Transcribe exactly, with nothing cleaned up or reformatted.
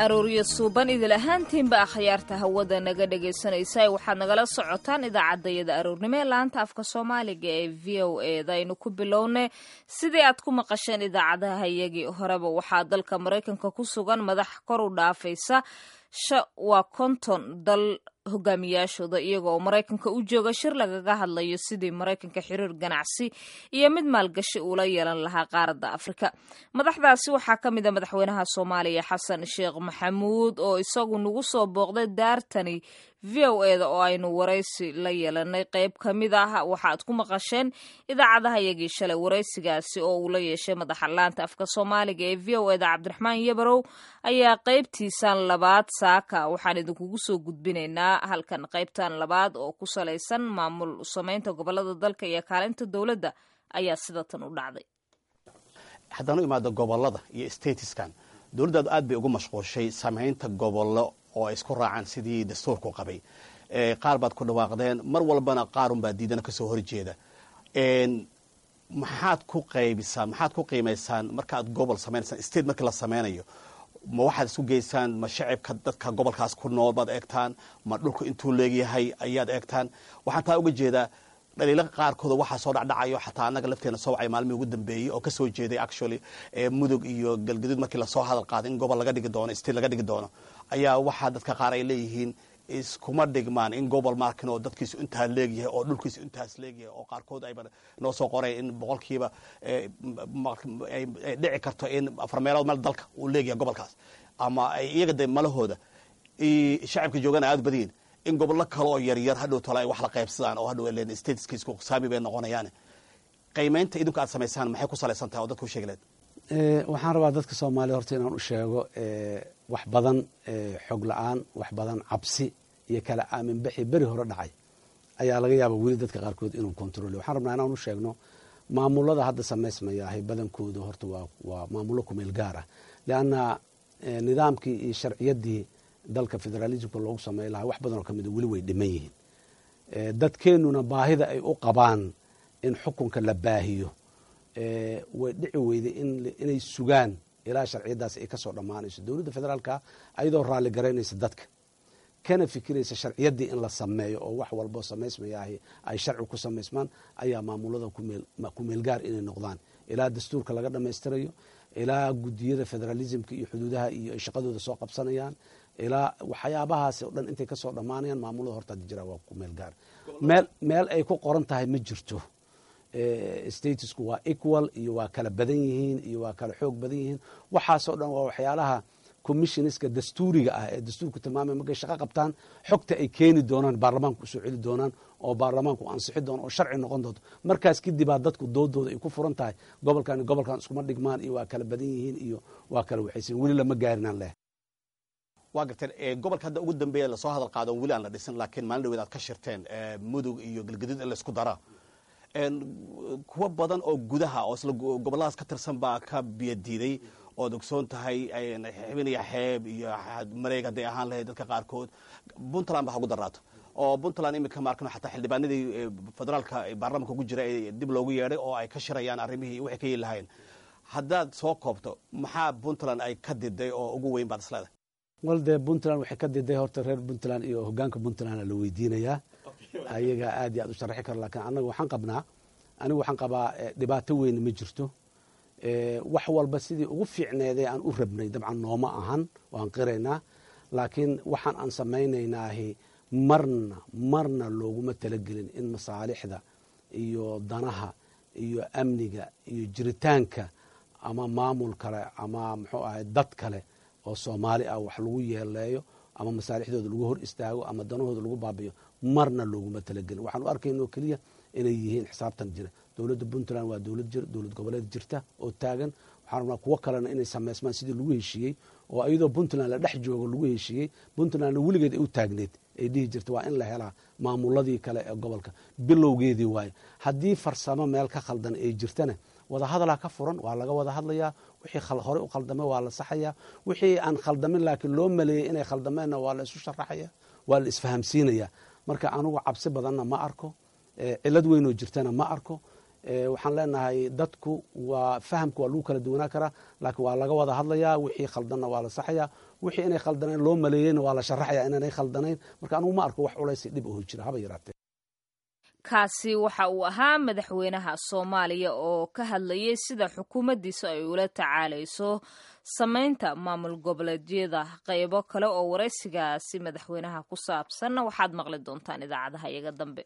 Arooryo suuban idil ahaantiinba akhyaarta hawada naga dhagaysanaysa, waxaad nagala socotaan idaacaddayada aroornimo ee laanta afka Soomaaliga ee V O A da. Aynu ku bilownay, sidii aad ku maqasheen idaacadaha iyagii horeba, waxaa dalka Maraykanka ku sugan madax kor u dhaafaysa waa konton dal hogaamiyaashooda, iyaga oo Maraykanka u jooga shir lagaga hadlayo sidii Maraykanka xiriir ganacsi iyo mid maalgashi uula yeelan lahaa qaaradda Afrika. Madaxdaasi waxaa ka mid a madaxweynaha Soomaaliya Xasan Sheekh Maxamuud, oo isagu nagu soo booqday daartani V O A da, oo aynu waraysi la yeelanay. Qayb ka mid ah waxaad ku maqasheen idaacadaha iyagii shalay. Waraysigaasi oo uu la yeeshay madaxa laanta afka Soomaaliga ee V O A da, Cabdiraxmaan Yabarow, ayaa qaybtiisan labaad saaka waxaan idinkugu soo gudbinaynaa halkan. Qaybtan labaad oo ku salaysan maamul samaynta gobolada dalka iyo kaalinta dowladda ayaa sidatan u dhacday. Haddaan u imaado gobolada iyo stateskan, dowladdaadu aad bay ugu mashquushay samaynta gobollo oo ay isku raacaan sidii dastuurku qabay. Qaar baad ku dhawaaqdeen, mar walbana qaarunbaa diidana kasoo horjeeda. Maxaad ku qaybisaan, maxaad ku qiimaysaan markaad gobol samaynaysaan? State markii la sameynayo, ma waxaad isku geysaan, ma shacibka dadka gobolkaas ku nool baad eegtaan, ma dhulku intuu leegyahay ayaad eegtaan? Waxaan taa uga jeedaa dhaliilo qaarkooda waxaa soo dhacdhacayo, xataa annaga lafteena soo wacay maalmihii ugu dambeeyey oo kasoo jeeday actually Mudug iyo Galgaduud. Markii lasoo hadal qaaday in gobol laga dhigi doono, state laga dhigi doono, ayaa waxaa dadka qaar ay leeyihiin iskuma dhigmaan in gobol markin oo dadkiisu intaa leegyahay oo dhulkiisu intaas leegyahay, oo qaarkood ayba noo soo qoray in boqolkiiba ay dhici karto in afar meelood meel dalka uu leegyahay gobolkaas, ama ay iyaga de malahooda shacabka joogana aad badiyin, in gobollo kale oo yaryar hadhow tole ay wax la qaybsadaan oo hadhow leen stateska isku saami bay noqonayaan. Qiimaynta idinku aad samaysaan maxay ku salaysan tahay oo dadka u sheegi lahayd? Waxaan rabaa dadka Soomaaliya horta inaan u sheego wax badan xog la-aan, wax badan cabsi iyo kala aaminbixi beri hore dhacay ayaa laga yaaba weli dadka qaarkood inuu control. Waxaan rabnaa inaan u sheegno maamulada hadda samaysmayaahay badankooda horta waa waa maamullo kumeel gaar ah, leanna nidaamkii iyo sharciyaddii dalka federalismka loogu sameyn lahaa wax badan oo kamida weli way dhiman yihiin. Dadkeenuna baahida ay u qabaan in xukunka la baahiyo way dhici weyday inay sugaan ilaa sharciyadaas ay kasoo dhammaanayso. Dowladda federaalka ayadoo raalli garaynaysa dadka, kana fikiraysa sharciyaddii in la sameeyo oo wax walbo samaysmayaahi ay sharci ku samaysmaan, ayaa maamulada kumeel gaar inay noqdaan ilaa dastuurka laga dhammaystirayo, ilaa gudiyada federalismka iyo xuduudaha iyo ay shaqadooda soo qabsanayaan, ilaa waxyaabahaas o dhan intay kasoo dhammaanayaan. Maamulada horta hadda jira waa kumeel gaar. Meel meel ay ku qoran tahay ma jirto statesku waa equal iyo waa kala badan yihiin iyo waa kala xoog badan yihiin. Waxaasoo dhan waa waxyaalaha commissionska dastuuriga ah ee dastuurku tilmaamay markay shaqo qabtaan xogta ay keeni doonaan, baarlamaanku usoo celi doonaan oo baarlamaanku ansixi doono oo sharci noqon doonto. Markaas kadibaa dadku doodooda ay ku furan tahay, gobolkan gobolkan iskuma dhigmaan iyo waa kala badan yihiin iyo waa kala waxaysan. Weli lama gaarinaan leh. Waa garteen. Gobolka hadda ugu dambeeya lasoo hadal qaado, weli aan la dhisin, laakiin maalin dhaweed aad ka shirteen, Mudug iyo Galgaduud in laisku dara, kuwo badan oo gudaha oo isla gobolladaas ka tirsan baa ka biyo diiday, ood ogsoon tahay, Xibin iyo Xeeb iyo Mareeg hadday ahaan lahayd. Dadka qaarkood Puntland ba hagu daraato, oo Puntland iminka maarkano xataa xildhibaanadii federaalka baarlamanka ugu jira ee dib loogu yeedhay oo ay ka shirayaan arrimihii waxay ka yeeli lahayn. Haddaad soo koobto, maxaa Puntland ay ka diday oo ugu weyn baad isleedahay? Wal dee, Puntland waxay ka diday horta reer Puntland iyo hogaanka Puntland la weydiinayaa, ayagaa aad iyo aad u sharaxi karo. Lakiin annaga waxaan qabnaa, anigu waxaan qabaa, dhibaato weyn ma jirto. Wax walba sidii ugu fiicneedee aan u rabnay dabcan nooma ahan, waan qiraynaa, laakiin waxaan aan samaynaynaahi marna marna looguma talagelin in masaalixda iyo danaha iyo amniga iyo jiritaanka ama maamul kale ama muxuu ahay dad kale oo Soomaali ah wax lagu yeeleeyo ama masaalixdooda lagu hor istaago ama danahooda lagu baabiyo. Marna looguma talagelin. Waxaan u arkayno keliya inay yihiin xisaabtan jira. Dowladda Puntland waa dowlad jir, dowlad goboleed jirta oo taagan. Waxaan rabnaa kuwo kalena inay sameysmaan sidii lagu heshiiyey, oo iyadoo Puntland la dhex joogo lagu heshiiyey. Puntlandna weligeed ay u taagneed, ay dhihi jirta waa in la helaa maamuladii kale ee gobolka. Bilowgeedii waaye. Haddii farsamo meel ka khaldan ay jirtana, wadahadalaa ka furan, waa laga wada hadlayaa. Wixii horey u khaldamay waa la saxayaa, wixii aan khaldamin laakiin loo maleeyey inay khaldameenna waa la isu sharaxaya, waa la isfahamsiinaya. Marka anugu cabsi badanna ma arko, cilad weynoo jirtana ma arko. Waxaan leenahay dadku waa fahamka waa lagu kala duwanaa karaa, laakiin waa laga wada hadlayaa, wixii khaldanna waa la saxayaa, wixii inay khaldanayn loo maleeyeyna waa la sharaxaya inaanay khaldanayn. Marka anugu ma arko wax culays dhib oho jira haba yaraatee. Kaasi waxa uu ahaa madaxweynaha Soomaaliya oo ka hadlayay sida xukuumaddiisa ay ula tacaalayso samaynta maamul goboleedyada. Qaybo kale oo waraysigaasi madaxweynaha ku saabsanna waxaad maqli doontaan idaacadaha iyaga dambe.